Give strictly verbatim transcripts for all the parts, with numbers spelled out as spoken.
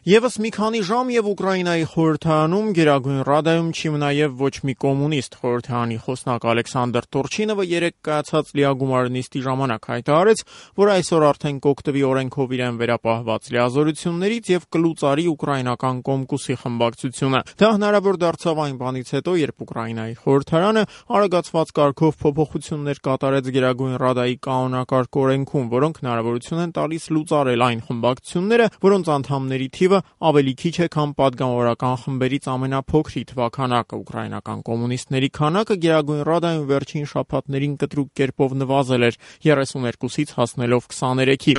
Եվս մի քանի ժամ եւ Ուկրաինայի խորհրդարանում Գերագույն Ռադայում չի մնա եւ ոչ մի կոմունիստ։ Խորհրդարանի խոսնակ Ալեքսանդր Տուրչինովը երեկ կայացած լիագումար նիստի ժամանակ հայտարարեց, որ այսօր արդեն կօգտվի օրենքով իրեն վերապահված լիազորություններից եւ կլուծարի ուկրաինական Կոմկուսի խմբակցությունը։ Դա հնարավոր դարձավ այն բանից հետո, երբ Ուկրաինայի խորհրդարանը արագացված կարգով փոփոխություններ կատարեց Գերագույն Ռադայի կանոնակարգ օրենքում, որոնք հնարավորություն են տալիս լուծարել այն խմբակցությունները, որոնց անդամների թիվը ավելի քիչ է, քան պատգամավորական խմբերից ամենափոքրի թվաքանակը։ Ուկրաինական կոմունիստների քանակը Գերագույն Ռադայում վերջին շաբաթներին կտրուկ կերպով նվազել էր երեսուներկուսից հասնելով քսաներեքի։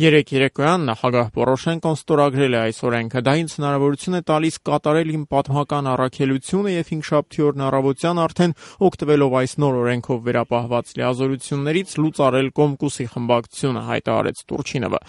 Երեք երեկոյան նախագահ Պորոշենկոն ստորագրել է այս օրենքը։ Դա ինձ հնարավորություն է տալիս կատարել իմ պատմական առաքելությունը եւ հինգշաբթի օրն առավոտյան արդեն օգտվելով այս նոր օրենքով վերապահված լիազորություններից լուծարել Կոմկուսի խմբակցությունը, հայտարարեց Տուրչինովը։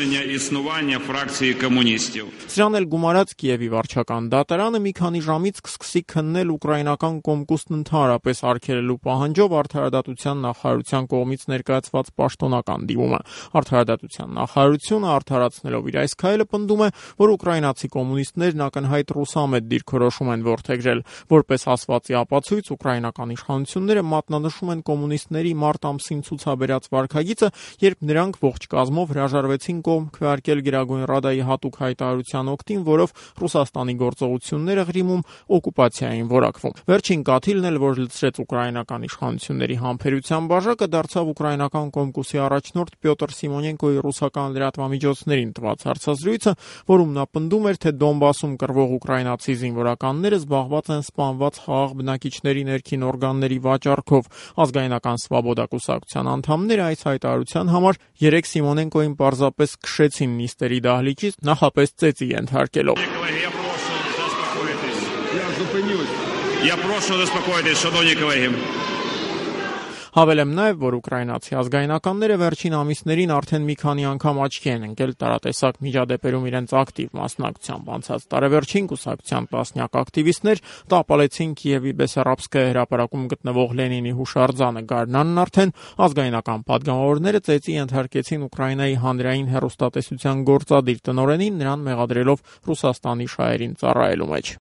Սրանել գումարած Կիևի վարչական դատարանը մի քանի ժամից կսկսի քննել ուկրաինական Կոմկուսն ընդհանրապես արգելելու պահանջով արդարադատության նախարարության կողմից ներկայացված պաշտոնական դիմումը։ Արդարադատության նախարարությունը արդարացնելով իր այս քայլը պնդում է, որ ուկրաինացի կոմունիստներն ակնհայտ ռուսամետ դիրքորոշում են որդեգրել։ Որպես ասվածի ապացույց ուկրաինական իշխանությունները մատնանշում են կոմունիստների մարտ ամսին ցուցաբերած վարքագիծը, երբ նրանք ողջ կազմով հրաժարվեցին կողմ քվեարկել Գերագույն Ռադայի հատուկ հայտարարության օգտին, որով Ռուսաստանի գործողությունները Ղրիմում օկուպացիա էին որակվում։ Վերջին կաթիլն էլ, որ լցրեց ուկրաինական իշխանությունների համբերության բաժակը, դարձավ ուկրաինական Կոմկուսի առաջնորդ Պյոտր Սիմոնենկոյի ռուսական լրատվամիջոցներին տված հարցազրույցը, որում նա պնդում էր, թե Դոնբասում կռվող ուկրաինացի զինվորականները զբաղված են սպանված խաղաղ բնակիչների ներքին օրգանների վաճառքով։ Ազգայնական Սվաբոդա կուսակցության անդամները այս հայտարարության համար երեք Սիմոնենկոյին պարզապես քշեցին նիստերի դահլիճից, նախապես ծեծի ենթարկելով։ Հավելեմ նաև, որ ուկրաինացի ազգայնականները վերջին ամիսներին արդեն մի քանի անգամ աչքի են ընկել տարատեսակ միջադեպերում իրենց ակտիվ մասնակցությամբ։ Անցած տարեվերջին կուսակցության տասնյակ ակտիվիստներ տապալեցին Կիևի Բեսարաբսկայա հրապարակում գտնվող Լենինի հուշարձանը։ Գարնանն արդեն ազգայնական պատգամավորները ծեծի ենթարկեցին Ուկրաինայի հանրային հեռուստատեսության գործադիր տնօրենին, նրան մեղադրելով Ռուսաստանի շահերին ծառայելու մեջ։